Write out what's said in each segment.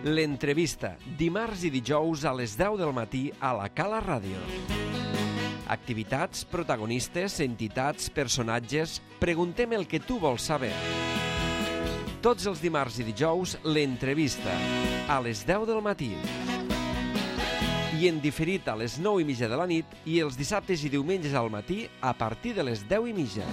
L'entrevista, dimarts i dijous a les 10 del matí a la Cala Ràdio. Activitats, protagonistes, entitats, personatges... Preguntem el que tu vols saber. Tots els dimarts i dijous, l'entrevista, a les 10 del matí. I en diferit a les 9:30 de la nit i els dissabtes i diumenges al matí a partir de les 10:30.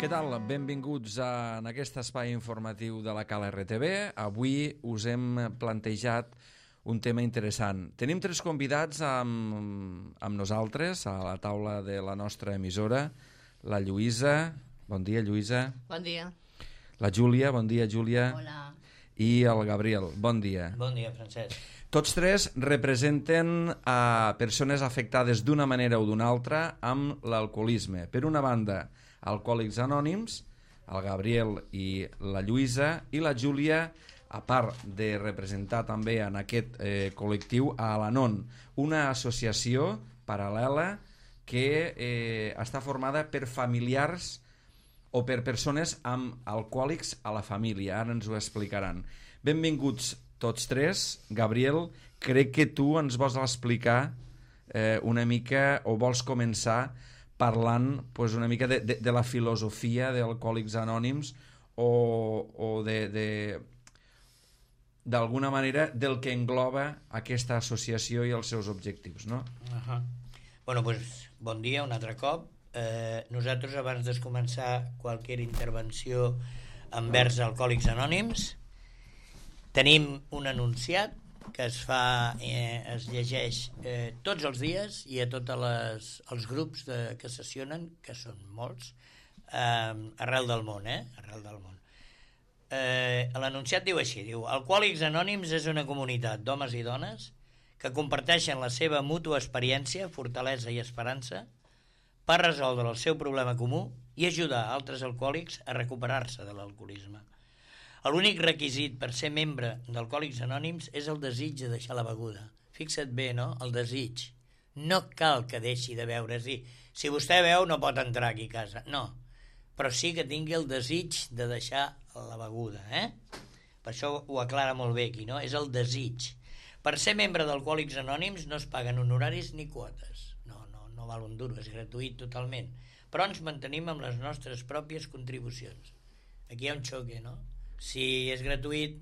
Què tal? Benvinguts en aquest espai informatiu de la Cala RTV. Avui us hem plantejat un tema interessant. Tenim 3 convidats amb nosaltres a la taula de la nostra emissora. La Lluïsa. Bon dia, Lluïsa. Bon dia. La Júlia. Bon dia, Júlia. Hola. I el Gabriel. Bon dia. Bon dia, Francesc. Tots 3 representen a persones afectades d'una manera o d'una altra amb l'alcoholisme. Per una banda, Alcohòlics Anònims, el Gabriel i la Lluïsa, i la Júlia, a part de representar també en aquest col·lectiu a Al-Anon, una associació paral·lela que està formada per familiars o per persones amb alcohòlics a la família. Ara ens ho explicaran. Benvinguts tots 3. Gabriel, crec que tu ens vols explicar una mica, o vols començar parlant una mica de la filosofia d'Alcohòlics Anònims o d'alguna manera del que engloba aquesta associació i els seus objectius, no? Bueno, doncs, bon dia un altre cop. Nosaltres, abans de començar qualsevol intervenció envers Alcohòlics Anònims, tenim un anunciat que es llegeix tots els dies i a tots els grups que sessionen, que són molts, arrel del món, arrel del món. L'anunciat diu així, diu: Alcohòlics Anònims és una comunitat d'homes i dones que comparteixen la seva mútua experiència, fortalesa i esperança per resoldre el seu problema comú i ajudar altres alcohòlics a recuperar-se de l'alcoholisme. L'únic requisit per ser membre d'Alcohòlics Anònims és el desig de deixar la beguda. Fixa't bé, no? El desig. No cal que deixi de beure. Si vostè beu no pot entrar aquí a casa. No. Però sí que tingui el desig de deixar la beguda. Per això ho aclara molt bé aquí, no? És el desig. Per ser membre d'Alcohòlics Anònims no es paguen honoraris ni quotes. No val un duro, és gratuït totalment. Però ens mantenim amb les nostres pròpies contribucions. Aquí hi ha un xoque, no? Si és gratuït,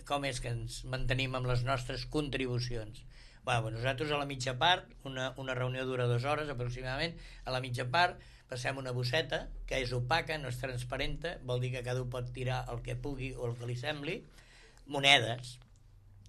com és que ens mantenim amb les nostres contribucions? Nosaltres a la mitja part, una reunió dura 2 hores aproximadament, a la mitja part passem una bosseta que és opaca, no és transparenta, vol dir que cada un pot tirar el que pugui o el que li sembli, monedes,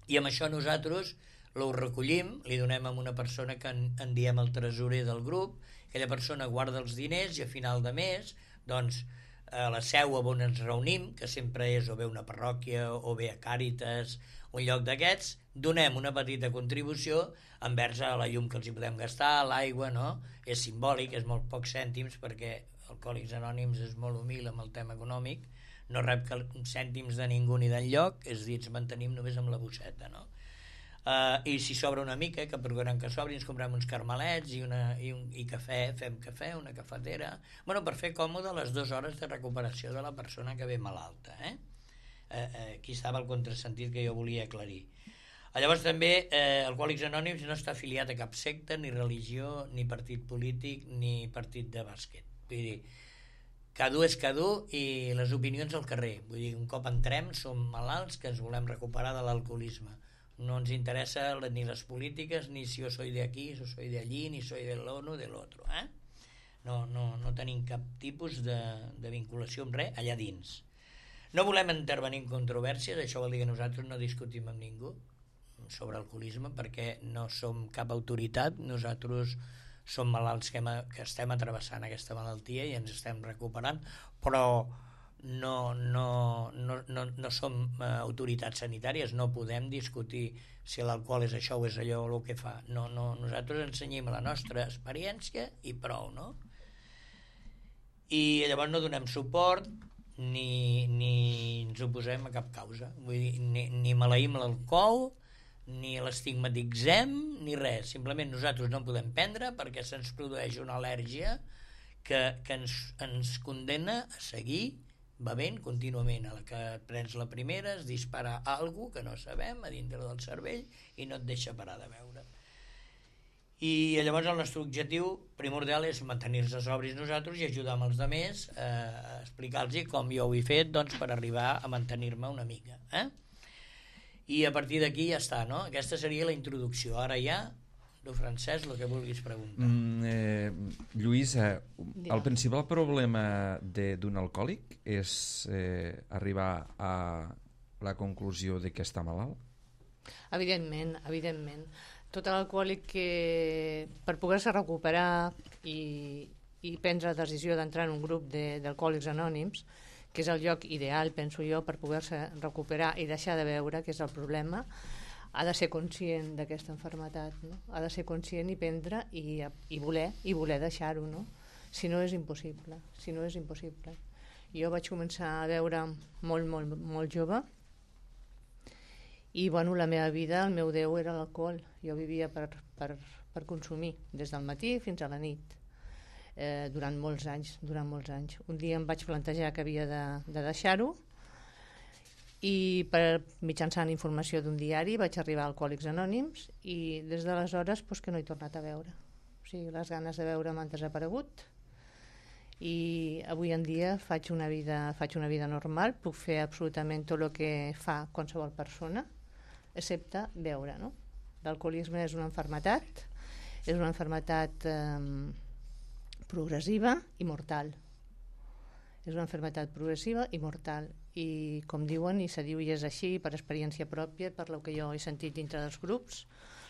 i amb això nosaltres ho recollim, li donem a una persona que en diem el tresorer del grup, aquella persona guarda els diners i a final de mes, doncs, a la seu on ens reunim, que sempre és o bé una parròquia o bé a Càritas, un lloc d'aquests, donem una petita contribució envers a la llum que els hi podem gastar, l'aigua, no? És simbòlic, és molt pocs cèntims, perquè Alcohòlics Anònims és molt humil amb el tema econòmic, no rep cèntims de ningú ni d'enlloc, és a dir, ens mantenim només amb la bosseta, no? I si sobra una mica, que procurem que sobri, ens comprem uns carmelets i cafè, fem cafè, una cafetera, per fer còmode les 2 hores de recuperació de la persona que ve malalta. Aquí estava el contrasentit que jo volia aclarir. Llavors també Alcohòlics Anònims no està afiliat a cap secta, ni religió, ni partit polític, ni partit de bàsquet. Vull dir, cada és cada i les opinions al carrer. Vull dir, un cop entrem som malalts que ens volem recuperar de l'alcoholisme. No ens interessa ni les polítiques, ni si jo soy de aquí, si soy de allí, ni soy de l'uno, de l'altre. No tenim cap tipus de vinculació amb res allà dins. No volem intervenir en controvèrsies, això vol dir que nosaltres no discutim amb ningú sobre alcoholisme, perquè no som cap autoritat, nosaltres som malalts que estem travessant aquesta malaltia i ens estem recuperant, però no som autoritats sanitàries, no podem discutir si l'alcohol és això o és allò o el que fa. Nosaltres ensenyem la nostra experiència i prou, no? I llavors no donem suport ni ens oposem a cap causa. Vull dir, ni maleïm l'alcohol, ni l'estigmatitzem, ni res. Simplement nosaltres no podem prendre perquè se'ns produeix una al·lèrgia que ens condena a seguir bevent contínuament. A la que prens la primera es dispara alguna que no sabem a dintre del cervell i no et deixa parar de beure. I llavors el nostre objectiu primordial és mantenir-nos sobris nosaltres i ajudar amb els altres a explicar-los com jo ho he fet, doncs, per arribar a mantenir-me una mica. I a partir d'aquí ja està, no? Aquesta seria la introducció. Ara ja, tu, Francesc, el que vulguis preguntar. Lluïsa, el principal problema d'un alcohòlic és arribar a la conclusió de que està malalt? Evidentment, evidentment. Tot l'alcohòlic que per poder-se recuperar i prendre la decisió d'entrar en un grup d'alcohòlics anònims, que és el lloc ideal, penso jo, per poder-se recuperar i deixar de beure, que és el problema, ha de ser conscient d'aquesta malaltia, no? Ha de ser conscient i prendre i voler deixar-ho, no? Si no és impossible, Jo vaig començar a beure molt jove i bueno, la meva vida, el meu Déu era l'alcohol. Jo vivia per consumir des del matí fins a la nit, durant molts anys. Un dia em vaig plantejar que havia de deixar-ho i mitjançant informació d'un diari vaig arribar a Alcohòlics Anònims i des d'aleshores que no he tornat a beure. O sigui, les ganes de beure m'han desaparegut i avui en dia faig una vida normal, puc fer absolutament tot el que fa qualsevol persona excepte beure, no? L'alcoholisme és una malaltia progressiva i mortal. I com diuen, i se diu i és així per experiència pròpia, per el que jo he sentit dintre dels grups,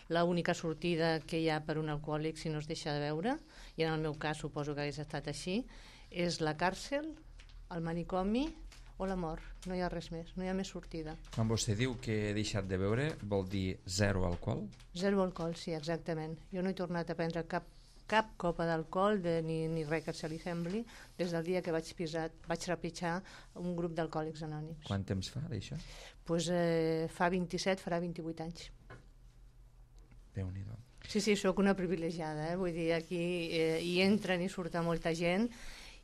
l'única sortida que hi ha per un alcohòlic si no es deixa de beure, i en el meu cas suposo que hagués estat així, és la càrcel, el manicomi o la mort. No hi ha res més, no hi ha més sortida. Quan vostè diu que he deixat de beure, vol dir zero alcohol? Zero alcohol, sí, exactament. Jo no he tornat a prendre cap copa d'alcohol ni res que se li sembli des del dia que vaig trepitjar un grup d'alcohòlics anònims. Quant temps fa d'això? Pues, farà 28 anys. Déu-n'hi-do. Sí, sóc una privilegiada, vull dir, aquí hi entren i surten molta gent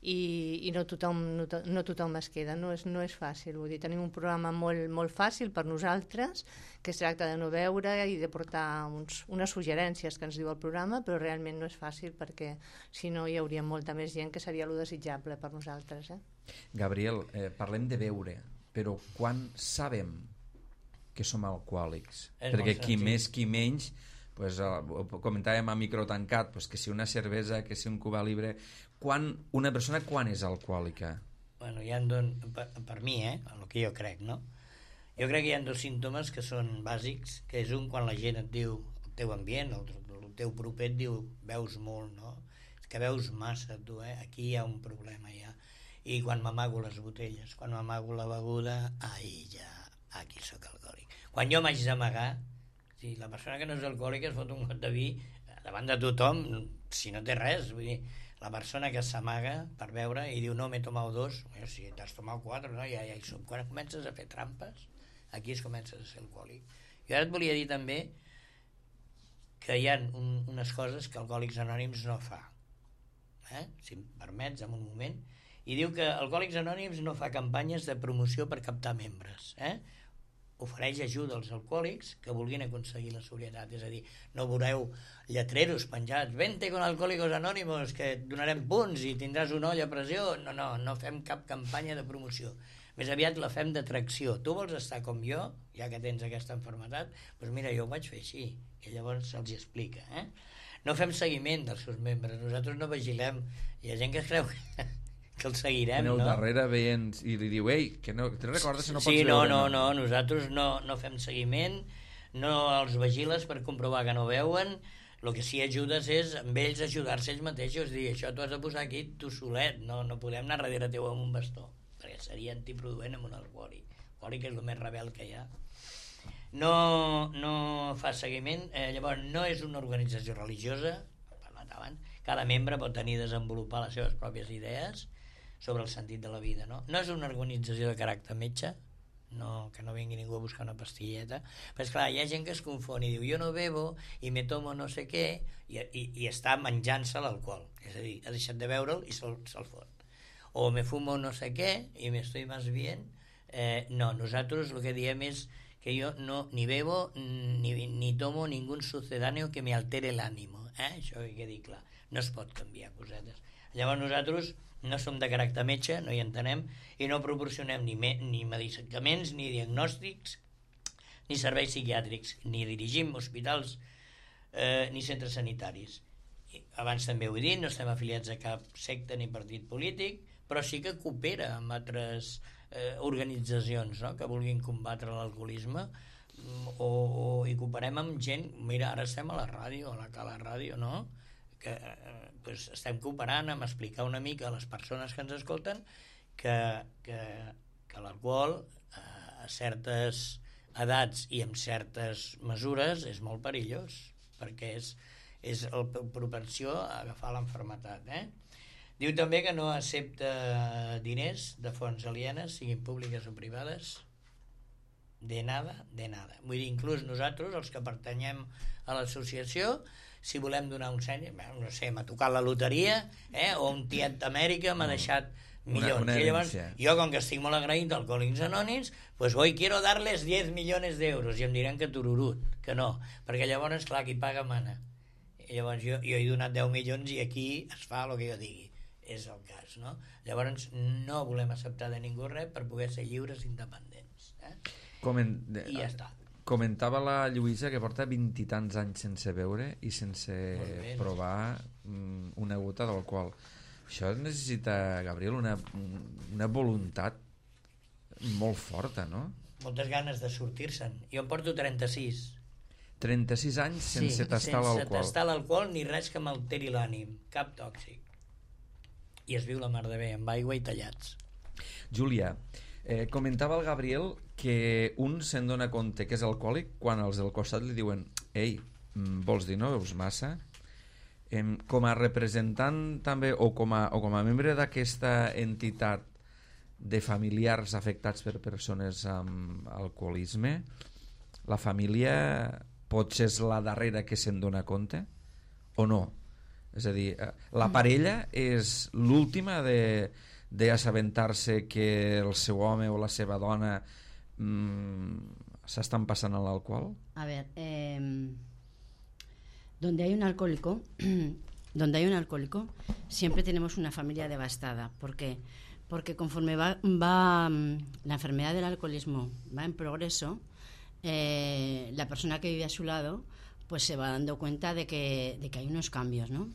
i no tothom es queda, no és fàcil, vull dir, tenim un programa molt fàcil per nosaltres, que es tracta de no beure i de portar unes suggerències que ens diu el programa, però realment no és fàcil perquè si no hi hauria molta més gent, que seria lo desitjable per nosaltres. Gabriel, parlem de beure, però quan sabem que som alcohòlics? Perquè qui més, qui menys, pues, ho comentàvem a micro tancat, pues, que si una cervesa, que si un Cuba Libre. Una persona quan és alcohòlica? Bueno, per mi, el que jo crec, no? Jo crec que hi ha dos símptomes que són bàsics, que és un quan la gent et diu, el teu ambient, el teu proper et diu, veus molt, no? És que veus massa, tu, aquí hi ha un problema ja. I quan m'amago les botelles, quan m'amago la beguda, aquí sóc alcohòlic. Quan jo m'haig d'amagar, si la persona que no és alcohòlica es fot un got de vi davant de tothom, si no té res, vull dir, la persona que s'amaga per beure i diu no, m'he tomat 2, si t'has tomat 4, no? Ja hi som. Quan comences a fer trampes, aquí es comences a ser alcohòlic. Jo ara et volia dir també que hi ha unes coses que Alcohòlics Anònims no fa, si em permets, en un moment, i diu que Alcohòlics Anònims no fa campanyes de promoció per captar membres, ofereix ajuda als alcohòlics que vulguin aconseguir la sobrietat, és a dir, no veureu lletreros penjats, vente con Alcohólicos Anónimos, que et donarem punts i tindràs un ull a pressió. No fem cap campanya de promoció, més aviat la fem d'atracció. Tu vols estar com jo, ja que tens aquesta malaltia, doncs mira, jo ho vaig fer així, i llavors se'ls explica. No fem seguiment dels seus membres, nosaltres no vigilem, hi ha gent que es creu que el seguirem, no? Darrere veient i li diu, ei, que no, te'n recordes que no pots veure? No, nosaltres no fem seguiment, no els vigiles per comprovar que no veuen, el que sí ajudes és amb ells ajudar-se ells mateixos, dir, això t'ho has de posar aquí tu solet, no podem anar darrere teu amb un bastó, perquè seria antiproduent amb un alcohòlic. L'alcohòlic és el més rebel que hi ha. No fa seguiment, llavors no és una organització religiosa, hem parlat abans, cada membre pot tenir desenvolupar les seves pròpies idees sobre el sentit de la vida, no? No és una organització de caràcter metge, que no vingui ningú a buscar una pastilleta, però esclar, hi ha gent que es confon i diu, jo no bebo i me tomo no sé què, i està menjant-se l'alcohol, és a dir, ha deixat de beure'l i se'l fot. o me fumo no sé qué y me estoy más bien. No, nosotros lo que diem és que yo no ni bebo ni tomo ningún sucedáneo que me altere el ánimo. Això hi quedi clar. No es pot canviar cosetes. Llavors nosaltres no som de caràcter metge, no hi entenem, i no proporcionem ni medicaments, ni diagnòstics, ni serveis psiquiàtrics, ni dirigim hospitals ni centres sanitaris. Abans també ho he dit, no estem afiliats a cap secta ni partit polític, però sí que coopera amb altres organitzacions, no?, que vulguin combatre l'alcoholisme, i cooperem amb gent. Mira, ara estem a la ràdio, a la Cala Ràdio, no?, que estem cooperant amb explicar una mica a les persones que ens escolten que l'alcohol a certes edats i amb certes mesures és molt perillós, perquè és la propensió a agafar l'enfermetat. Diu també que no accepta diners de fonts alienes, siguin públiques o privades, de nada. Vull dir, inclús nosaltres, els que pertanyem a l'associació, si volem donar un seny, no sé, m'ha tocat la loteria, o un tiet d'Amèrica m'ha deixat milions. I llavors, jo, com que estic molt agraït d'Alcohòlics Anònims, pues hoy quiero darles 10 millones d'euros, i em diran que tururut, que no, perquè llavors, clar, qui paga mana. I llavors jo he donat 10 milions i aquí es fa el que jo digui. És el cas, no? Llavors no volem acceptar de ningú res per poder ser lliures i independents. I ja està. Comentava la Lluïsa que porta 20 i tants anys sense beure i sense provar una gota d'alcohol. Això necessita, Gabriel, una voluntat molt forta, no? Moltes ganes de sortir-se'n. Jo em porto 36. 36 anys sense tastar l'alcohol. Sense tastar l'alcohol ni res que m'alteri l'ànim, cap tòxic. I es viu la mar de bé, amb aigua i tallats. Júlia, comentava el Gabriel que un se'n dona compte que és alcohòlic quan els del costat li diuen: ei, vols dir, no beus massa? Com a representant també, o com a membre d'aquesta entitat de familiars afectats per persones amb alcoholisme, la família potser és la darrera que se'n dona compte o no? És a dir, la parella és l'última d'assabentar-se que el seu home o la seva dona s'estan passant a l'alcohol? A ver, donde hay un alcohólico siempre tenemos una familia devastada. ¿Por qué? Porque conforme va la enfermedad del alcoholismo va en progreso, la persona que vive a su lado pues se va dando cuenta de que hay unos cambios, ¿no?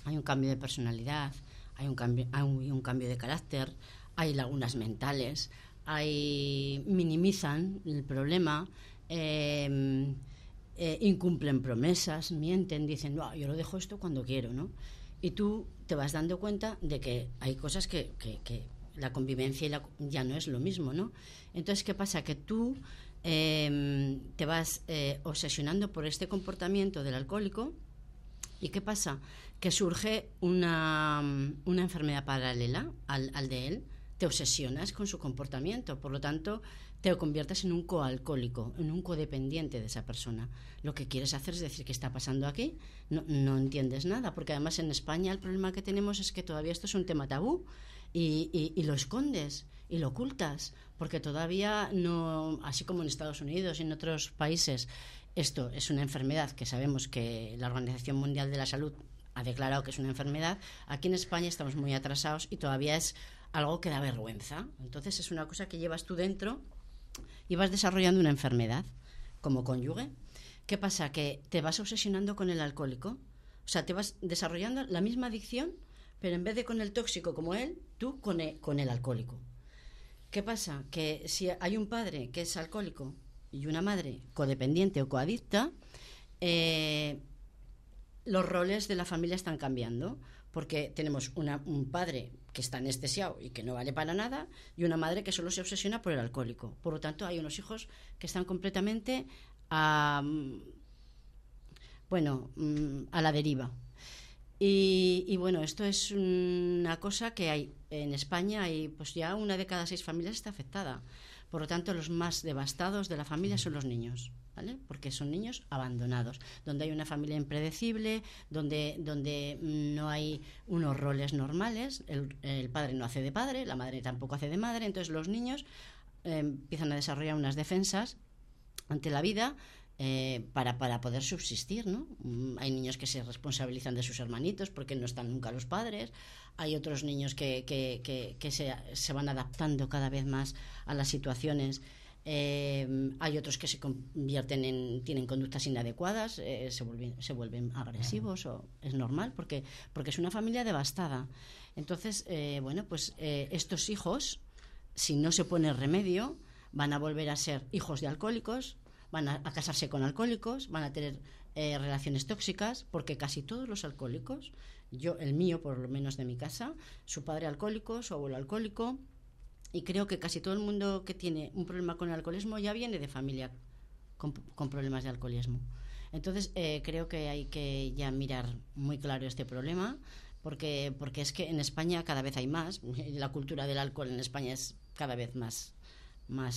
Hay un cambio de personalidad, hay un cambio de carácter, hay lagunas mentales, minimizan el problema, incumplen promesas, mienten, dicen, no, yo lo dejo esto cuando quiero, ¿no? Y tú te vas dando cuenta de que hay cosas que la convivencia ya no es lo mismo, ¿no? Entonces, ¿qué pasa? Que tú te vas obsesionando por este comportamiento del alcohólico. ¿Y qué pasa? Que surge una enfermedad paralela al de él. Te obsesionas con su comportamiento, por lo tanto te conviertes en un coalcohólico, en un codependiente de esa persona. Lo que quieres hacer es decir, ¿qué está pasando aquí? No entiendes nada, porque además en España el problema que tenemos es que todavía esto es un tema tabú y lo escondes y lo ocultas, porque todavía no, así como en Estados Unidos y en otros países, esto es una enfermedad que sabemos que la Organización Mundial de la Salud ha declarado que es una enfermedad. Aquí en España estamos muy atrasados y todavía es algo que da vergüenza. Entonces es una cosa que llevas tú dentro y vas desarrollando una enfermedad como cónyuge. ¿Qué pasa? Que te vas obsesionando con el alcohólico. O sea, te vas desarrollando la misma adicción, pero en vez de con el tóxico como él, tú con el alcohólico. ¿Qué pasa? Que si hay un padre que es alcohólico y una madre codependiente o coadicta, los roles de la familia están cambiando, porque tenemos un padre que está anestesiado y que no vale para nada, y una madre que solo se obsesiona por el alcohólico. Por lo tanto, hay unos hijos que están completamente a la deriva. Y bueno, esto es una cosa que hay en España, y pues ya 1 de cada 6 familias está afectada. Por lo tanto, los más devastados de la familia son los niños. ¿vale? Porque son niños abandonados, donde hay una familia impredecible, donde no hay unos roles normales, el padre no hace de padre, la madre tampoco hace de madre, entonces los niños empiezan a desarrollar unas defensas ante la vida para poder subsistir, ¿no? Hay niños que se responsabilizan de sus hermanitos porque no están nunca los padres, hay otros niños que se van adaptando cada vez más a las situaciones. Hay otros que se convierten tienen conductas inadecuadas, se vuelven agresivos, o es normal porque es una familia devastada. Entonces, estos hijos, si no se pone remedio, van a volver a ser hijos de alcohólicos, van a casarse con alcohólicos, van a tener relaciones tóxicas, porque casi todos los alcohólicos, el mío por lo menos de mi casa, su padre alcohólico, su abuelo alcohólico, y creo que casi todo el mundo que tiene un problema con el alcoholismo ya viene de familia con problemas de alcoholismo. Entonces creo que hay que ya mirar muy claro este problema, porque es que en España cada vez hay más, la cultura del alcohol en España es cada vez más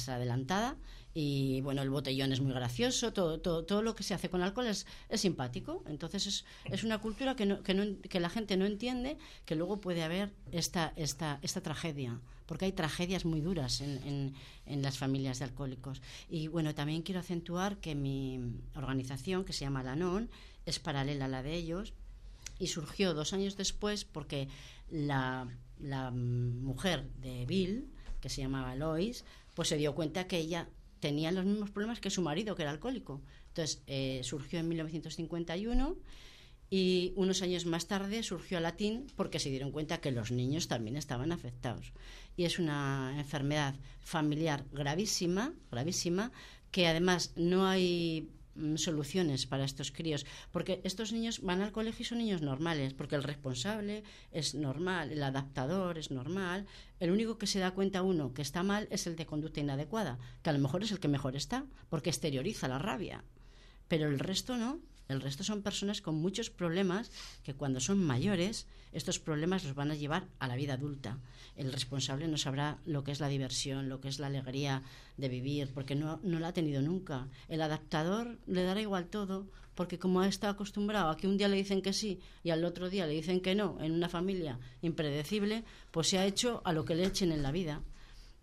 adelantada, y bueno, el botellón es muy gracioso, todo lo que se hace con alcohol es simpático. Entonces es una cultura que la gente no entiende, que luego puede haber esta tragedia, porque hay tragedias muy duras en las familias de alcohólicos. Y bueno, también quiero acentuar que mi organización, que se llama Al-Anon, es paralela a la de ellos, y surgió 2 años después porque la mujer de Bill, que se llamaba Lois, pues se dio cuenta que ella tenía los mismos problemas que su marido, que era alcohólico. Entonces surgió en 1951, y unos años más tarde surgió Alatín, porque se dieron cuenta que los niños también estaban afectados. Y es una enfermedad familiar gravísima, que además no hay soluciones para estos críos, porque estos niños van al colegio y son niños normales, porque el responsable es normal, el adaptador es normal, el único que se da cuenta uno que está mal es el de conducta inadecuada, que a lo mejor es el que mejor está, porque exterioriza la rabia, pero el resto no. El resto son personas con muchos problemas que cuando son mayores estos problemas los van a llevar a la vida adulta. El responsable no sabrá lo que es la diversión, lo que es la alegría de vivir, porque no la ha tenido nunca. El adaptador le dará igual todo, porque como está acostumbrado a que un día le dicen que sí y al otro día le dicen que no, en una familia impredecible, pues se ha hecho a lo que le echen en la vida.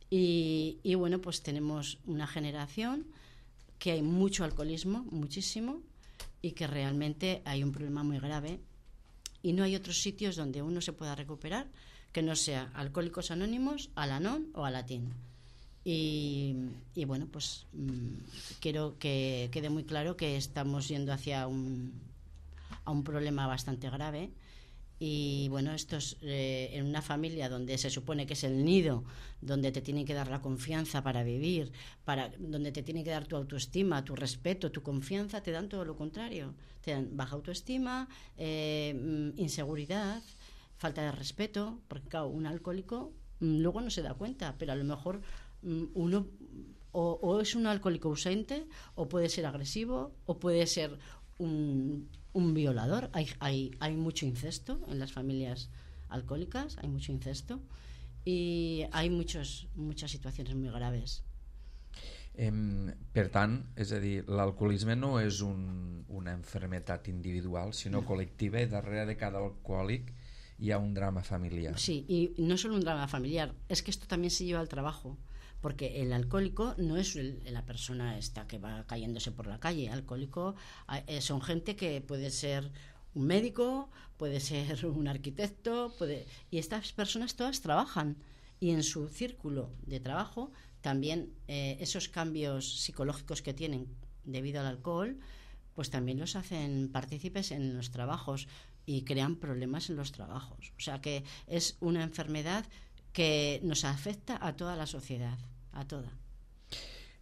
Y bueno, pues tenemos una generación que hay mucho alcoholismo, muchísimo, y que realmente hay un problema muy grave, y no hay otros sitios donde uno se pueda recuperar que no sea Alcohólicos Anónimos, Al-Anon o Alatín. Y bueno, pues quiero que quede muy claro que estamos yendo hacia a un problema bastante grave. Y bueno, esto es en una familia donde se supone que es el nido, donde te tienen que dar la confianza para vivir, donde te tienen que dar tu autoestima, tu respeto, tu confianza, te dan todo lo contrario. Te dan baja autoestima, inseguridad, falta de respeto, porque claro, un alcohólico luego no se da cuenta, pero a lo mejor uno o es un alcohólico ausente, o puede ser agresivo, o puede ser un violador. Hay mucho incesto en las familias alcohólicas, hay mucho incesto, y hay muchas situaciones muy graves. Per tant, és a dir, l'alcoholisme no és una enfermedad individual, sinó col·lectiva, y darrere de cada alcohòlic hi ha un drama familiar. Sí, y no solo un drama familiar, es que esto también se lleva al trabajo, porque el alcohólico no es la persona esta que va cayéndose por la calle. Alcohólico son gente que puede ser un médico, puede ser un arquitecto, y estas personas todas trabajan, y en su círculo de trabajo también esos cambios psicológicos que tienen debido al alcohol, pues también los hacen partícipes en los trabajos y crean problemas en los trabajos. O sea que es una enfermedad que nos afecta a toda la sociedad, a toda.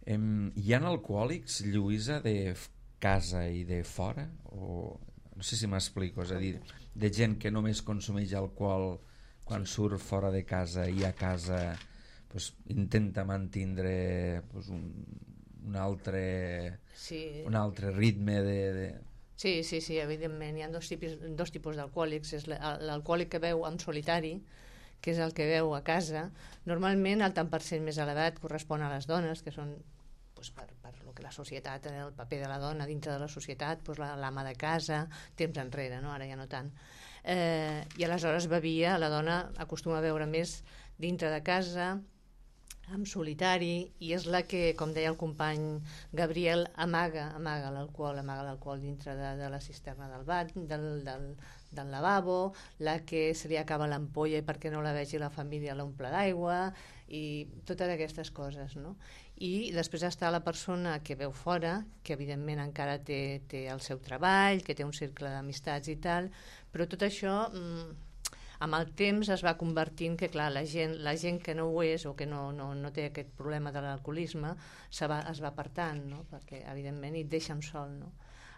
Hi ha alcohòlics, Lluïsa, de casa i de fora? O no sé si m'explico, és a dir, de gent que només consumeix alcohol quan surt fora de casa, i a casa pues, intenta mantindre pues, un altre ritme de... Sí, evidentment. Hi ha dos tipus d'alcohòlics. És l'alcohòlic que beu en solitari, que és el que beu a casa. Normalment el tant per cent més elevat correspon a les dones, que són per lo que la societat, el paper de la dona dintre de la societat, l'ama de casa, temps enrere, no? Ara ja no tant. I aleshores bevia, la dona acostuma a beure més dintre de casa, en solitari, i és la que, com deia el company Gabriel, amaga l'alcohol dintre de la cisterna del bat, del lavabo, la que se li acaba l'ampolla i perquè no la vegi la família l'omple d'aigua, i totes aquestes coses, no? I després està la persona que veu fora, que evidentment encara té el seu treball, que té un cercle d'amistats i tal, però tot això amb el temps es va convertint que, clar, la gent que no ho és o que no té aquest problema de l'alcoholisme es va apartant, no? Perquè evidentment et deixen sol, no?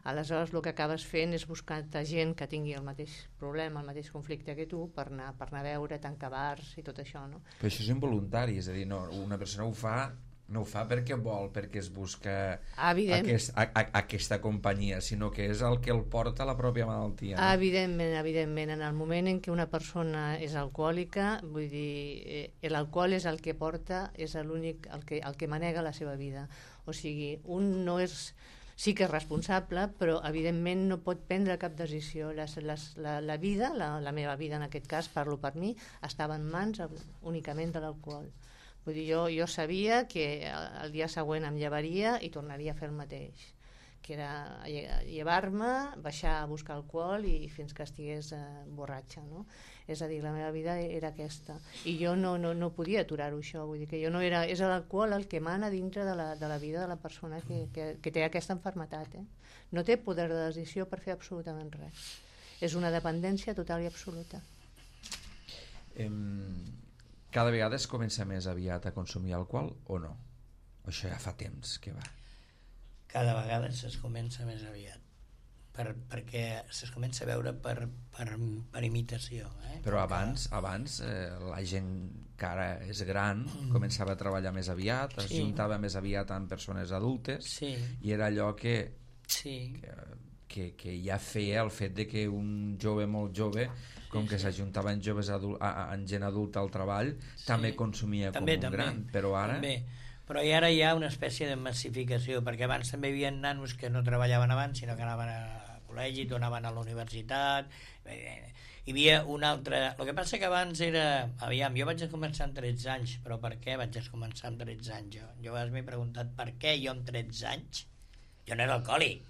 Aleshores el que acabes fent és buscar gent que tingui el mateix problema, el mateix conflicte que tu, per anar a veure, tancar bars i tot això, no? Però això és involuntari, és a dir, no, una persona no ho fa perquè vol, perquè es busca aquesta companyia, sinó que és el que el porta a la pròpia malaltia, no? Evidentment, en el moment en què una persona és alcohòlica, vull dir, l'alcohol és el que porta, és l'únic, el que manega la seva vida. O sigui, un no és... Sí que és responsable, però evidentment no pot prendre cap decisió. La vida, la meva vida en aquest cas, parlo per mi, estava en mans únicament de l'alcohol. Vull dir, jo sabia que el dia següent em llevaria i tornaria a fer el mateix, que era llevar-me, baixar a buscar alcohol i fins que estigués borratxa, no? És a dir, la meva vida era aquesta. I jo no podia aturar-ho, això. Vull dir que jo no era... És l'alcohol el que mana dintre de la vida de la persona que té aquesta malaltia. No té poder de decisió per fer absolutament res. És una dependència total i absoluta. Cada vegada es comença més aviat a consumir alcohol o no? O això ja fa temps que va? Cada vegada es comença més aviat. Perquè es comença a veure per imitació. Però abans la gent que ara és gran començava a treballar més aviat, es juntava més aviat amb persones adultes, i era allò que ja feia el fet de que un jove molt jove, com que s'ajuntava amb gent adulta al treball, també consumia com un gran, però ara... Però ara hi ha una espècie de massificació, perquè abans també hi havia nanos que no treballaven abans, sinó que anaven a col·legi, tornaven a la universitat. Hi havia un altre... El que passa que abans era... Aviam, jo vaig començar amb 13 anys, però per què vaig començar amb 13 anys? Jo a vegades m'he preguntat per què jo amb 13 anys... Jo no era alcohòlic.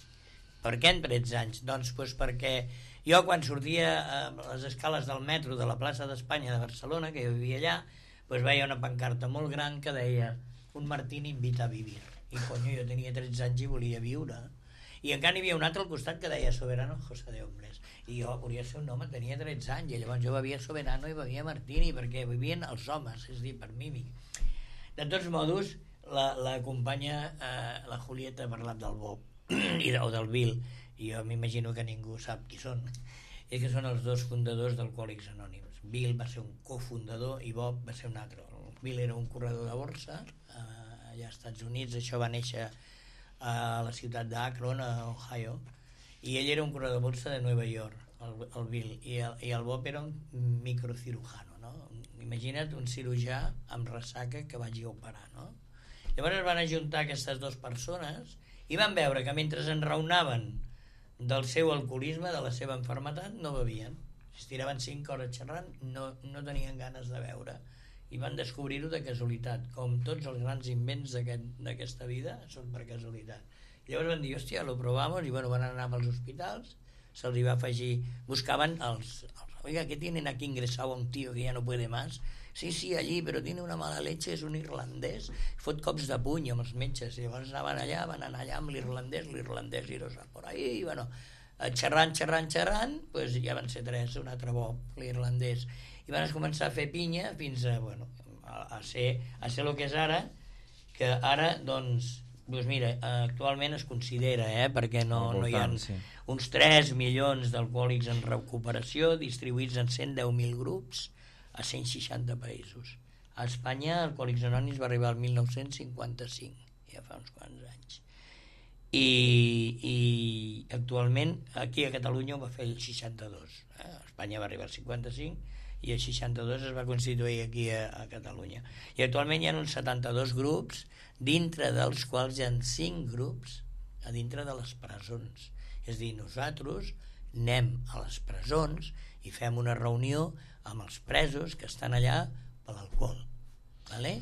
Per què amb 13 anys? Doncs perquè jo quan sortia a les escales del metro de la plaça d'Espanya de Barcelona, que jo vivia allà, doncs veia una pancarta molt gran que deia un Martín invita a vivir. I coño, jo tenia 13 anys i volia viure. I encara hi havia un altre al costat que deia Soberano José de Hombres. I jo volia ser un home, tenia 13 anys, i llavors jo bevia Soberano i bevia Martini, perquè vivien els homes, és a dir, per mi. De tots modos, la companya, la Julieta, ha parlat del Bob o del Bill, i jo m'imagino que ningú sap qui són. És que són els dos fundadors d'Alcohòlics Anònims. Bill va ser un cofundador i Bob va ser un altre. Bill era un corredor de borsa allà als Estats Units, això va néixer a la ciutat d'Akron, a Ohio, i ell era un corredor de borsa de Nova York, el Bill, i el Bob era un microcirujano, no? Imagina't un cirurgià amb ressaca que vagi a operar, no? Llavors es van ajuntar aquestes dues persones i van veure que mentre enraonaven del seu alcoholisme, de la seva malaltia, no bevien. Si tiraven 5 hores xerrant, no tenien ganes de beure. I van descobrir-ho de casualitat, com tots els grans invents d'aquesta vida són per casualitat. I llavors van dir, hòstia, lo probamos, i bueno, van anar als hospitals, se'ls va afegir, buscaven oiga, ¿qué tienen aquí ingresado a un tío que ya no puede más? Sí, allí, pero tiene una mala leche, és un irlandès, fot cops de puny amb els metges, i llavors van anar allà amb l'irlandès irosa por ahí, i bueno, xerrant, pues ja van ser 3, un altre Bob, l'irlandès, i van començar a fer pinya fins a, bueno, a ser el que és ara, que ara, doncs mira, actualment es considera, perquè no hi ha uns 3 milions d'alcohòlics en recuperació distribuïts en 110.000 grups a 160 països. A Espanya, Alcohòlics Anònims va arribar al 1955, ja fa uns quants anys. I actualment aquí a Catalunya ho va fer el 62. A Espanya va arribar al 55 i el 62 es va constituir aquí a Catalunya. I actualment hi ha uns 72 grups, dintre dels quals hi ha 5 grups a dintre de les presons. És a dir, nosaltres anem a les presons i fem una reunió amb els presos que estan allà per l'alcohol. Vale?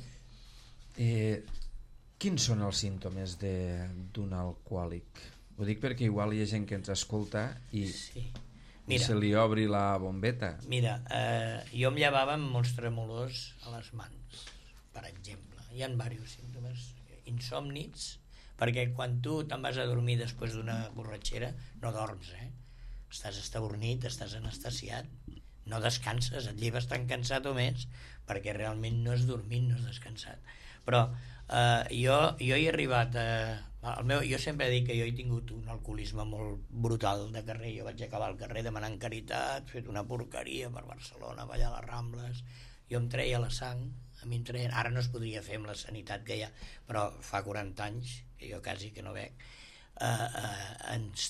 Quins són els símptomes d'un alcohòlic? Ho dic perquè igual hi ha gent que ens escolta i se li obri la bombeta. Mira, jo em llevava amb molts tremolors a les mans, per exemple. Hi ha diversos símptomes. Insòmnics, perquè quan tu te'n vas a dormir després d'una borratxera no dorms, estàs estabornit, estàs anestesiat, no descanses, et lleves tan cansat o més, perquè realment no has dormit, no has descansat. Però jo he arribat jo sempre dic que jo he tingut un alcoholisme molt brutal de carrer. Jo vaig acabar al carrer demanant caritat, fet una porqueria per Barcelona, ballar a les Rambles. Jo em treia la sang, a mi em treien, ara no es podria fer amb la sanitat que hi ha, però fa 40 anys que jo quasi que no bec, ens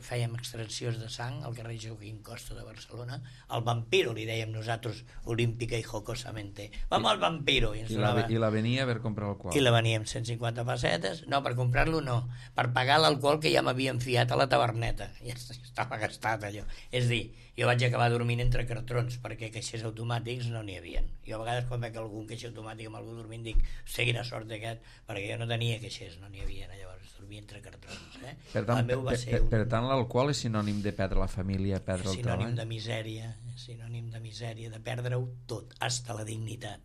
fèiem extraccions de sang al carrer Joaquín Costa de Barcelona. El Vampiro li dèiem nosaltres, olímpica i jocosamente, vamos al Vampiro, i la venia per comprar alcohol, i la venia amb 150 pessetes, no, per comprar-lo no, per pagar l'alcohol que ja m'havien fiat a la taverneta, ja estava gastat allò. És dir, jo vaig acabar dormint entre cartrons, perquè caixers automàtics no n'hi havia. Jo a vegades quan veig algun caixer automàtic amb algú dormint dic, quina sort aquest, perquè jo no tenia caixers, no n'hi havia, llavors dormia entre cartrons. Per tant, l'alcohol és sinònim de perdre la família, perdre el treball? Sinònim de misèria, de perdre-ho tot, hasta la dignitat.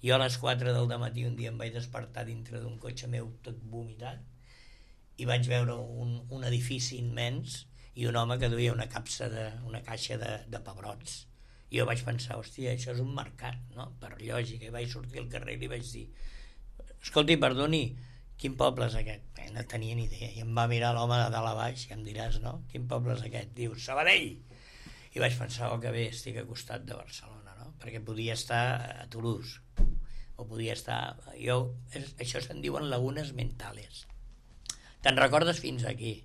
Jo a les 4 del dematí un dia em vaig despertar dintre d'un cotxe meu tot vomitat i vaig veure un edifici immens i un home que duia una caixa de pebrots. I jo vaig pensar, hòstia, això és un mercat, no? Per lògica. I vaig sortir al carrer i li vaig dir, escolti, perdoni, quin poble és aquest? No tenia ni idea. I em va mirar l'home de dalt a baix, que em diràs, no? Quin poble és aquest? Diu, Sabadell! I vaig pensar, que bé, estic a costat de Barcelona, no? Perquè podia estar a Toulouse, o podia estar... Això se'n diuen lagunes mentales. Te'n recordes fins aquí?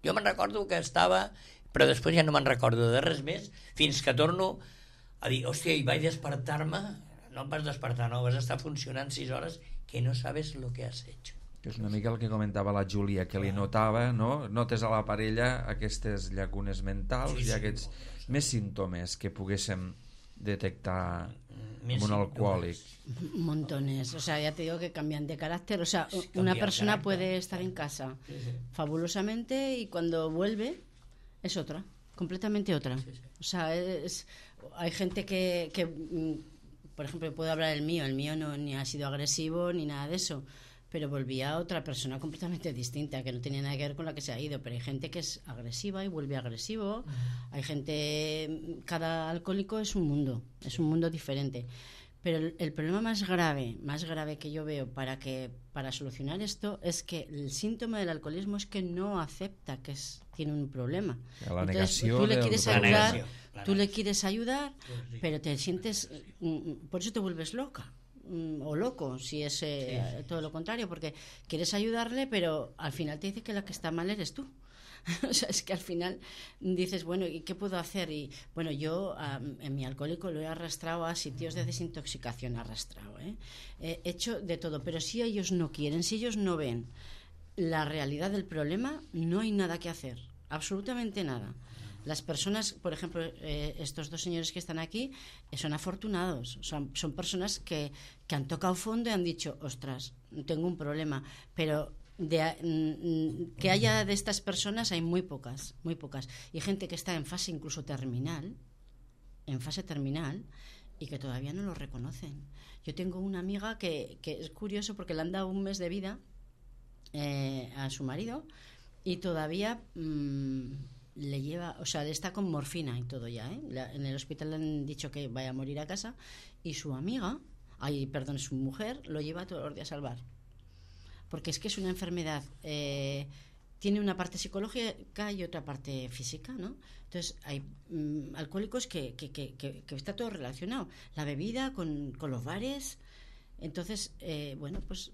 Jo me'n recordo que estava, però després ja no me'n recordo de res més, fins que torno a dir, hòstia, i vaig despertar-me, no em vas despertar, no, vas estar funcionant 6 hores, que no sabes lo que has hecho. És una mica el que comentava la Júlia, que li notava, no? Notes a la parella aquestes llacunes mentals i aquests més símptomes que poguéssim detectar en un alcohòlic. Montones, o sea, ya te digo que cambian de carácter, o sea, una persona puede estar en casa fabulosamente y cuando vuelve es otra, completamente otra. O sea, hay gente que por ejemplo, puedo hablar del mío no ni ha sido agresivo ni nada de eso, pero volvía otra persona completamente distinta, que no tenía nada que ver con la que se ha ido. Pero hay gente que es agresiva y vuelve agresivo. Hay gente, cada alcohólico es un mundo diferente. Pero el problema más grave que yo veo para solucionar esto es que el síntoma del alcoholismo es que no acepta que tiene un problema. La Entonces, negació tú le quieres ayudar, tú le quieres ayudar, pero te sientes, por eso te vuelves loca. O loco, si es todo lo contrario, porque quieres ayudarle, pero al final te dice que la que está mal eres tú. O sea, es que al final dices, bueno, ¿y qué puedo hacer? Y bueno, yo en mi alcohólico lo he arrastrado a sitios de desintoxicación, he hecho de todo, pero si ellos no quieren, si ellos no ven la realidad del problema, no hay nada que hacer, absolutamente nada. Las personas, por ejemplo, estos dos señores que están aquí, son afortunados, son personas que han tocado fondo y han dicho, ostras, tengo un problema, pero que haya de estas personas hay muy pocas, y gente que está en fase incluso terminal, y que todavía no lo reconocen. Yo tengo una amiga que es curioso porque le han dado un mes de vida a su marido y todavía le lleva, o sea, le está con morfina y todo ya, en el hospital le han dicho que vaya a morir a casa y su su mujer lo lleva todos los días al bar, porque es que es una enfermedad, tiene una parte psicológica y otra parte física, ¿no? Entonces hay alcohólicos que está todo relacionado, la bebida con los bares. Entonces bueno, pues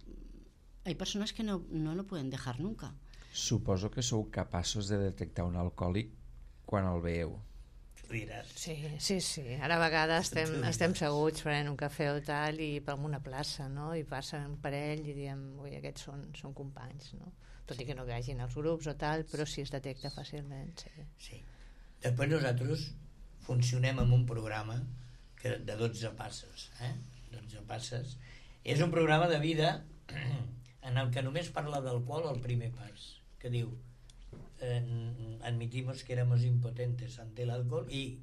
hay personas que no lo pueden dejar nunca. Suposo que sou capaços de detectar un alcohòlic quan el veieu. Diràs. Sí. Ara a vegades estem seguts prenent un cafè o tal i per una plaça, no? I passa un parell i diem, ui, aquests són companys, no? Tot i que no vegin els grups o tal, però sí es detecta fàcilment. Sí. Després nosaltres funcionem amb un programa de 12 passes. 12 passes. És un programa de vida en el que només parla d'alcohol al primer pas, que diu admitimos que éramos impotentes ante el alcohol y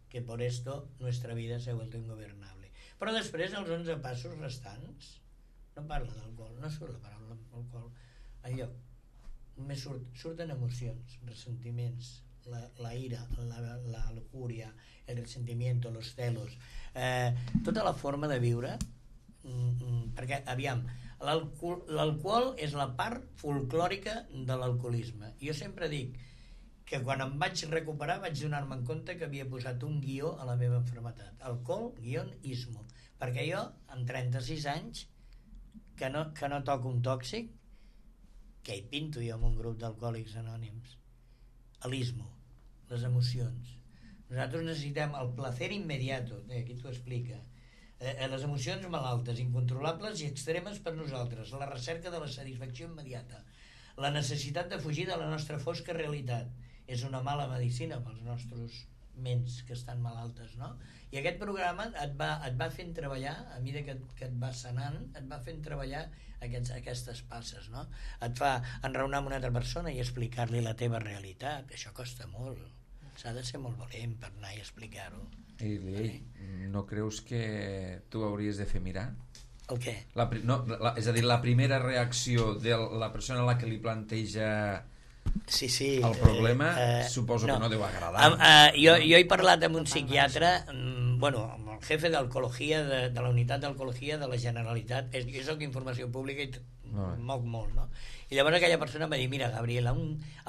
que por esto nuestra vida se ha vuelto ingobernable. Però després els 11 passos restants no parla d'alcohol, no surt la paraula alcohol enlloc. Només surten emocions, ressentiments, la ira, la lujuria, el resentimiento, los celos, tota la forma de viure, perquè, aviam, l'alcohol és la part folclòrica de l'alcoholisme. Jo sempre dic que quan em vaig recuperar vaig donar-me en compte que havia posat un guió a la meva malaltia. Alcohol-ismo. Perquè jo, amb 36 anys, que no toco un tòxic, què hi pinto jo amb un grup d'alcohòlics anònims? L'ismo, les emocions. Nosaltres necessitem el placer inmediato, aquí t'ho explica, les emocions malaltes, incontrolables i extremes per nosaltres, la recerca de la satisfacció immediata, la necessitat de fugir de la nostra fosca realitat. És una mala medicina pels nostres ments que estan malaltes, no? I aquest programa et va fent treballar, a mesura que et va sanant, et va fent treballar aquestes passes, no? Et fa enraonar amb una altra persona i explicar-li la teva realitat. Això costa molt. S'ha de ser molt valent per anar i explicar-ho. I no creus que tu hauries de fer mirar? El què? És a dir, la primera reacció de la persona a la que li planteja el problema, suposo que no deu agradar. Jo he parlat amb un psiquiatre, amb el jefe d'alcohologia de la unitat d'alcohologia de la Generalitat. Jo soc informació pública i moc molt, ¿no? Y llavors aquella persona me dice, mira, Gabriel, a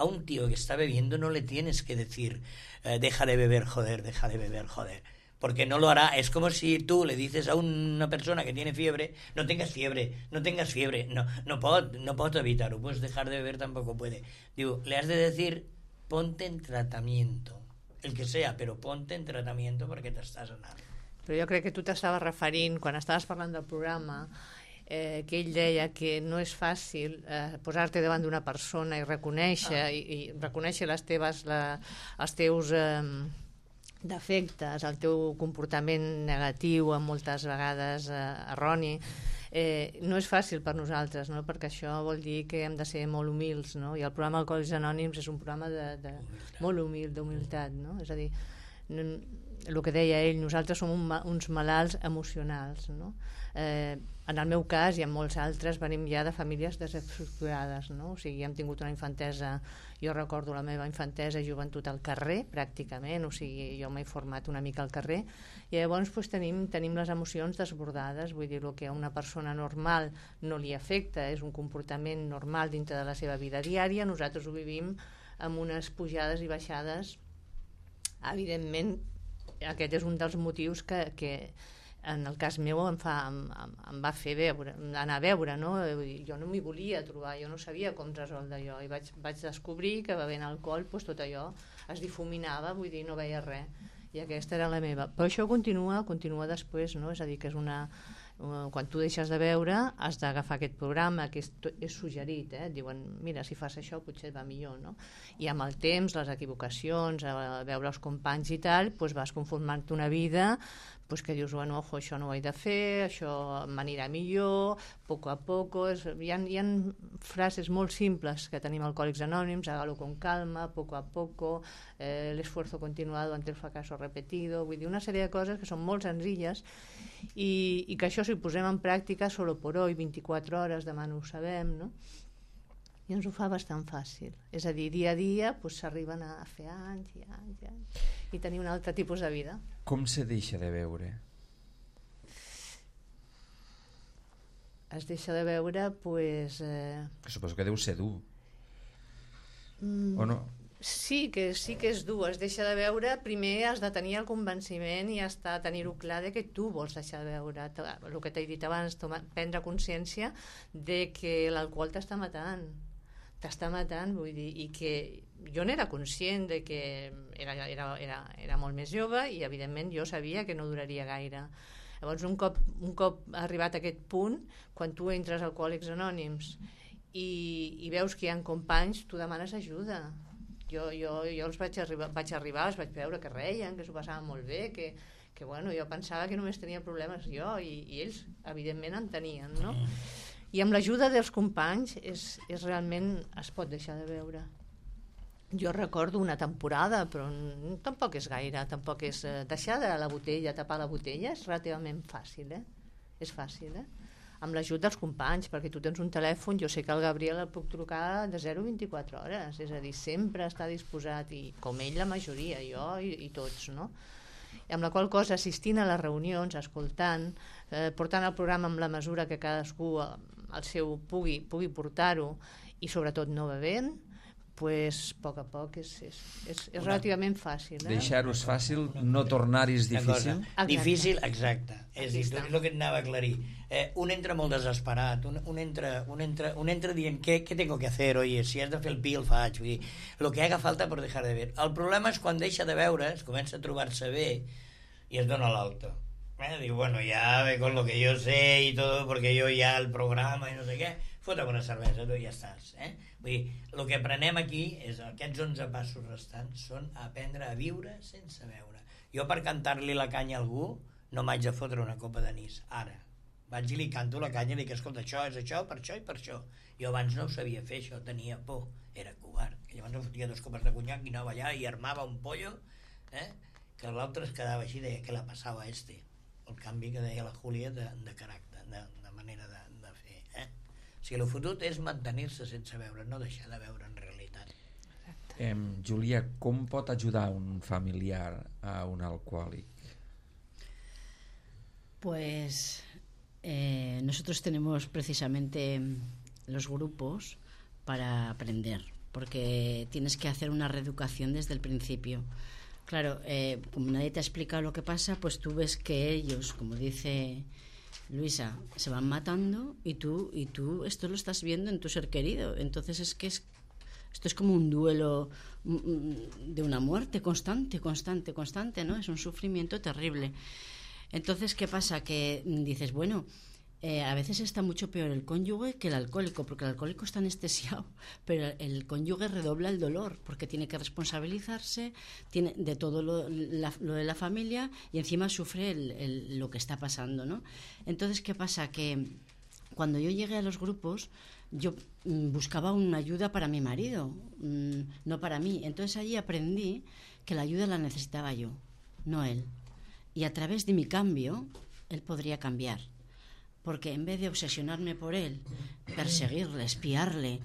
un tío que está bebiendo no le tienes que decir deja de beber, joder, porque no lo hará. Es como si tú le dices a una persona que tiene fiebre, no tengas fiebre, no pot evitar-ho, puedes dejar de beber, tampoco puede. Digo, le has de decir, ponte en tratamiento, el que sea, pero ponte en tratamiento perquè t'estàs anant. Però jo crec que tu t'estaves referint, quan estaves parlant del programa, que ell deia que no és fàcil posar-te davant d'una persona i reconèixer reconèixer els teus defectes, el teu comportament negatiu, moltes vegades erroni. No és fàcil per nosaltres, no? Perquè això vol dir que hem de ser molt humils, no? I el programa Alcohòlics Anònims és un programa molt humil, d'humilitat, no? És a dir, el que deia ell, nosaltres som uns malalts emocionals, no? En el meu cas i en molts altres venim ja de famílies desestructurades, no? O sigui, hem tingut una infantesa, jo recordo la meva infantesa i joventut al carrer pràcticament, o sigui, jo m'he format una mica al carrer i llavors doncs, tenim les emocions desbordades, vull dir, el que a una persona normal no li afecta, és un comportament normal dintre de la seva vida diària, nosaltres ho vivim amb unes pujades i baixades. Evidentment aquest és un dels motius que en el cas meu em va fer anar a veure, no? Jo no m'hi volia trobar, jo no sabia com resoldre allò i vaig descobrir que bevent alcohol doncs, tot allò es difuminava, vull dir, no veia res i aquesta era la meva, però això continua després, no? És a dir, que és quan tu deixes de beure has d'agafar aquest programa que és suggerit, diuen, mira, si fas això potser et va millor, no? I amb el temps, les equivocacions, veure els companys i tal, doncs vas conformant-te una vida que dius, bueno, ojo, això no ho he de fer, això m'anirà millor, poco a poco. Hi ha frases molt simples que tenim Alcohòlics Anònims, hágalo con calma, poco a poco, el esfuerzo continuado ante el fracaso repetido, vull dir, una sèrie de coses que són molt senzilles i que això si ho posem en pràctica solo por hoy, 24 hores, demà no ho sabem, no? I ens ho fa bastant fàcil. És a dir, dia a dia s'arriben a fer anys i anys i anys i tenir un altre tipus de vida. Com se deixa de beure? Es deixa de beure, doncs... Suposo que deu ser dur. O no? Sí que és dur. Es deixa de beure, primer has de tenir el convenciment i has de tenir-ho clar de que tu vols deixar de beure. El que t'he dit abans, prendre consciència de que l'alcohol t'està matant, t'està matant, vull dir, i que jo n'era conscient de que era molt més jove i evidentment jo sabia que no duraria gaire. Llavors un cop arribat a aquest punt, quan tu entres a Alcohòlics Anònims i veus que hi ha companys, tu demanes ajuda. Jo els vaig arribar, els vaig veure que reien, que s'ho passaven molt bé, que bueno, jo pensava que només tenia problemes jo i ells evidentment en tenien, no? I amb l'ajuda dels companys realment es pot deixar de veure. Jo recordo una temporada, però tampoc és gaire, tampoc és deixar de la botella, tapar la botella és relativament fàcil, és fàcil, amb l'ajut dels companys, perquè tu tens un telèfon, jo sé que el Gabriel el puc trucar de 0 a 24 hores, és a dir, sempre està disposat, i com ell la majoria, jo i tots, no? Amb la qual cosa, assistint a les reunions, escoltant, portant el programa amb la mesura que cadascú el seu pugui portar-ho, i sobretot no bevent, pues, a poc és relativament fàcil. Deixar-ho és fàcil, no tornar-hi és difícil. Difícil, exacte. És el que et anava a aclarir. Un entra molt desesperat, un entra dient què tengo que hacer, oye, si has de fer el pi el faig, vull dir, lo que haga falta per dejar de beber. El problema és quan deixa de beure, es comença a trobar-se bé i es dona l'alto. Diu, bueno, ya ve con lo que yo sé y todo, porque yo ya el programa i no sé què, fota'm una cervesa, tu ja estàs. Vull dir, el que aprenem aquí és aquests 11 passos restants són aprendre a viure sense beure. Jo per cantar-li la canya a algú no m'haig de fotre una copa d'anís, ara. Vaig i li canto la canya i li dic, escolta, això és això, per això i per això. Jo abans no ho sabia fer, això, tenia por, era covard. I llavors em fotia 2 copes de conyac i anava allà i armava un pollo, que l'altre es quedava així i deia, què la passava a este? El canvi que deia la Júlia de caràcter, de manera de fer. O sigui, el fotut és mantenir-se sense beure, no deixar de beure en realitat. Júlia, com pot ajudar un familiar a un alcohòlic? Pues nosotros tenemos precisamente los grupos para aprender, porque tienes que hacer una reeducación desde el principio. Claro, como nadie te ha explicado lo que pasa, pues tú ves que ellos, como dice Luisa, se van matando y tú esto lo estás viendo en tu ser querido. Entonces esto es como un duelo de una muerte constante, ¿no? Es un sufrimiento terrible. Entonces, ¿qué pasa? Que dices, bueno, a veces está mucho peor el cónyuge que el alcohólico, porque el alcohólico está anestesiado, pero el cónyuge redobla el dolor, porque tiene que responsabilizarse de todo lo de la familia y encima sufre lo que está pasando, ¿no? Entonces, ¿qué pasa? Que cuando yo llegué a los grupos, yo buscaba una ayuda para mi marido, no para mí. Entonces allí aprendí que la ayuda la necesitaba yo, no él. Y a través de mi cambio, él podría cambiar. Porque en vez de obsesionarme por él, perseguirle, espiarle,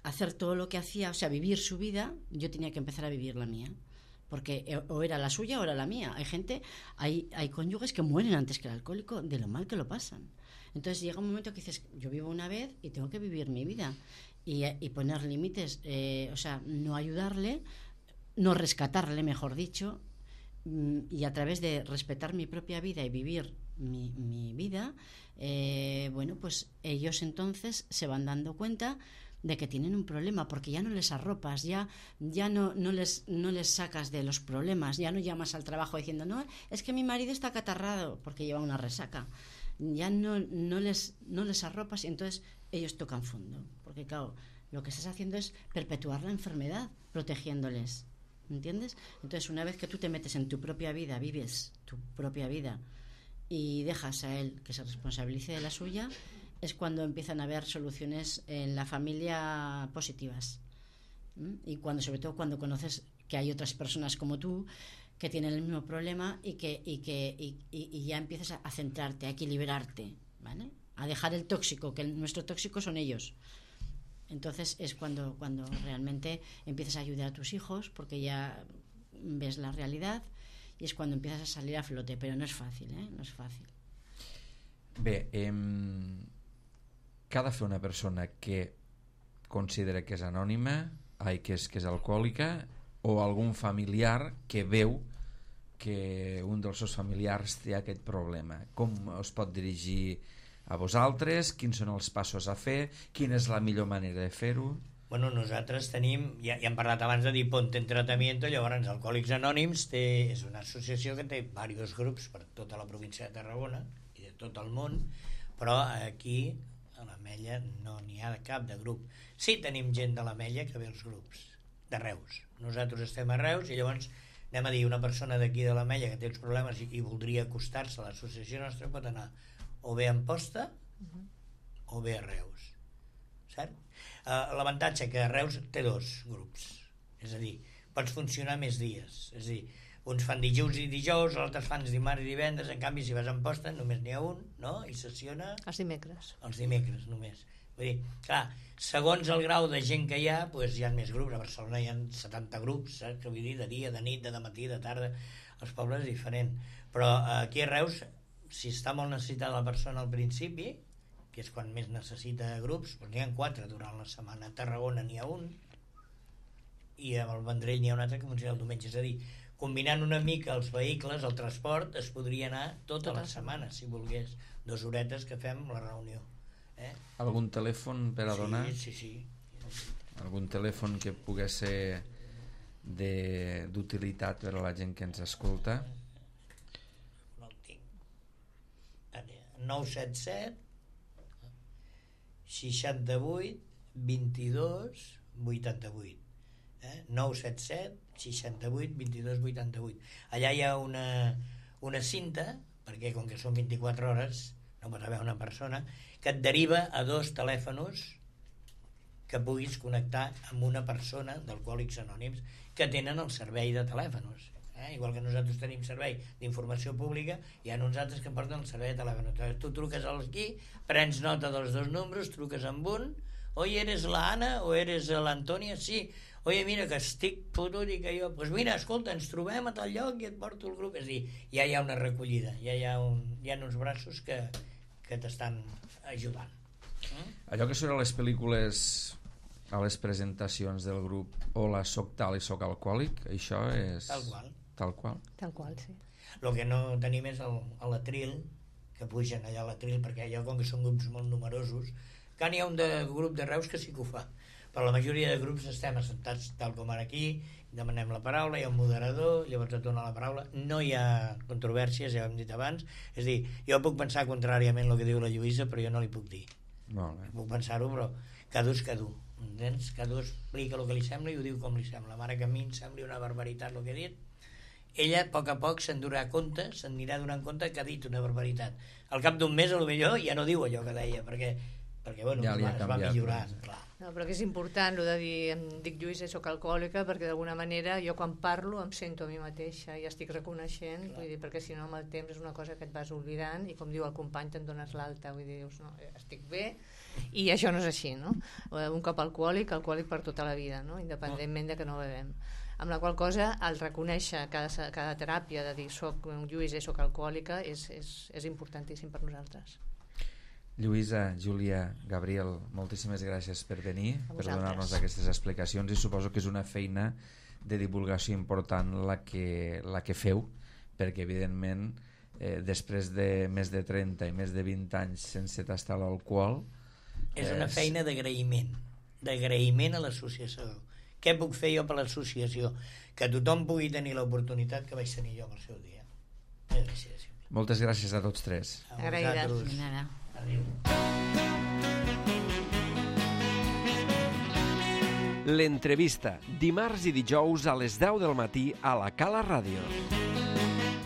hacer todo lo que hacía, o sea, vivir su vida, yo tenía que empezar a vivir la mía. Porque o era la suya o era la mía. Hay cónyuges que mueren antes que el alcohólico de lo mal que lo pasan. Entonces llega un momento que dices, yo vivo una vez y tengo que vivir mi vida. Y poner límites, o sea, no ayudarle, no rescatarle, mejor dicho, y a través de respetar mi propia vida y vivir mi vida, bueno, pues ellos entonces se van dando cuenta de que tienen un problema, porque ya no les arropas, ya no les sacas de los problemas, ya no llamas al trabajo diciendo, no, es que mi marido está acatarrado porque lleva una resaca, ya no les arropas, y entonces ellos tocan fondo, porque claro, lo que estás haciendo es perpetuar la enfermedad, protegiéndoles, ¿entiendes? Entonces, una vez que tú te metes en tu propia vida, vives tu propia vida y dejas a él que se responsabilice de la suya, es cuando empiezan a haber soluciones en la familia positivas. Y sobre todo cuando conoces que hay otras personas como tú que tienen el mismo problema y ya empiezas a centrarte, a equilibrarte, ¿vale? A dejar el tóxico, que nuestro tóxico son ellos. Entonces es cuando realmente empiezas a ayudar a tus hijos, porque ya ves la realidad, y es cuando empiezas a salir a flote, però no és fàcil, no és fàcil. Bé, què ha de fer una persona que considera que és anònima, que és alcohòlica, o algun familiar que veu que un dels seus familiars té aquest problema? Com es pot dirigir a vosaltres, quins són els passos a fer, quina és la millor manera de fer-ho? Bueno, nosaltres tenim, ja hem parlat abans de dir Ponte en Tratamiento, llavors Alcohòlics Anònims és una associació que té diversos grups per tota la província de Tarragona i de tot el món, però aquí a l'Ametlla no n'hi ha cap de grup. Sí, tenim gent de l'Ametlla que ve als grups, de Reus. Nosaltres estem a Reus i llavors anem a dir, una persona d'aquí de l'Ametlla que té uns problemes i voldria acostar-se a l'associació nostra pot anar o bé a Amposta o bé a Reus, cert? L'avantatge que a Reus té 2 grups, és a dir, pots funcionar més dies, és a dir, uns fan dijous i dijous, altres fan dimarts i divendres, en canvi si vas a Amposta només n'hi ha un, no? I sessiona Els dimecres només. Vull dir, clar, segons el grau de gent que hi ha, doncs hi ha més grups. A Barcelona hi ha 70 grups, saps què vull dir? De dia, de nit, de matí, de tarda, els pobles és diferent. Però aquí a Reus, si està molt necessitada la persona al principi, que és quan més necessita grups, doncs n'hi ha 4 durant la setmana. A Tarragona n'hi ha un i al Vendrell n'hi ha un altre que funciona el diumenge. És a dir, combinant una mica els vehicles, el transport, es podria anar tota la setmana, si volgués. 2 horetes que fem la reunió. Algun telèfon per a donar? Sí. Algun telèfon que pogués ser d'utilitat per a la gent que ens escolta? No el tinc. 977 68 22 88. 977 68 22 88. Allà hi ha una cinta, perquè com que són 24 hores no pot haver una persona, que et deriva a 2 telèfons que puguis connectar amb una persona d'Alcohòlics Anònims que tenen el servei de telèfons. Igual que nosaltres tenim servei d'informació pública, hi ha uns altres que porten el servei de telèfon. Tu truques aquí, prens nota dels 2 números, truques amb un, oi, eres la Ana o eres l'Antònia? Sí. Oye, mira, que estic fotut i que jo... Doncs mira, escolta, ens trobem a tal lloc i et porto el grup. És a dir, ja hi ha una recollida, ja hi ha uns braços que t'estan ajudant. Allò que surt a les pel·lícules, a les presentacions del grup, hola, soc tal i soc alcohòlic, això és... Tal qual. Tal qual, sí. El que no tenim és l'Atril, que pugen allà a l'Atril, perquè allò, com que són grups molt numerosos, que n'hi ha un grup de Reus que sí que ho fa, però la majoria de grups estem assentats tal com ara aquí, demanem la paraula, hi ha un moderador, llavors et dona la paraula, no hi ha controvèrsies, ja ho hem dit abans, és a dir, jo puc pensar contràriament el que diu la Lluïsa, però jo no li puc dir. Molt bé. Puc pensar-ho, però cada un, entens? Cada un explica el que li sembla i ho diu com li sembla. Mare que a mi em sembli una barbaritat el que he dit, ella a poc s'endurà compte, s'anirà donant compte que ha dit una barbaritat. Al cap d'un mes, potser ja no diu allò que deia, perquè bueno, ja es va millorant, clar. No, però que és important el de dir, em dic Lluïsa i soc alcohòlica, perquè d'alguna manera jo quan parlo em sento a mi mateixa i estic reconeixent, vull dir, perquè si no amb el temps és una cosa que et vas oblidant i com diu el company te'n dones l'alta, vull dir, dius, no, estic bé i això no és així, no? Un cop alcohòlic per tota la vida, no? Independentment de que no bevem. Amb la qual cosa el reconèixer cada teràpia de dir soc Lluïsa i soc alcohòlica és importantíssim per nosaltres. Lluïsa, Júlia, Gabriel, moltíssimes gràcies per venir, per donar-nos aquestes explicacions, i suposo que és una feina de divulgació important la que feu, perquè evidentment després de més de 30 i més de 20 anys sense tastar l'alcohol és una feina d'agraïment a l'associació. Què puc fer jo per l'associació? Que tothom pugui tenir l'oportunitat que vaig tenir jo en el seu dia. Moltes gràcies a tots 3. Agraïdes. L'entrevista, dimarts i dijous a les 10 del matí a la Cala Ràdio.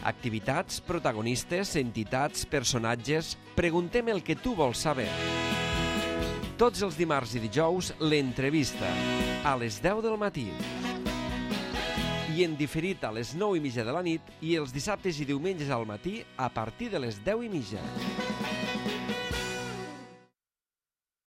Activitats, protagonistes, entitats, personatges... Preguntem el que tu vols saber. Tots els dimarts i dijous, l'entrevista, a les 10 del matí. I en diferit a les 9:30 de la nit i els dissabtes i diumenges al matí a partir de les 10:30.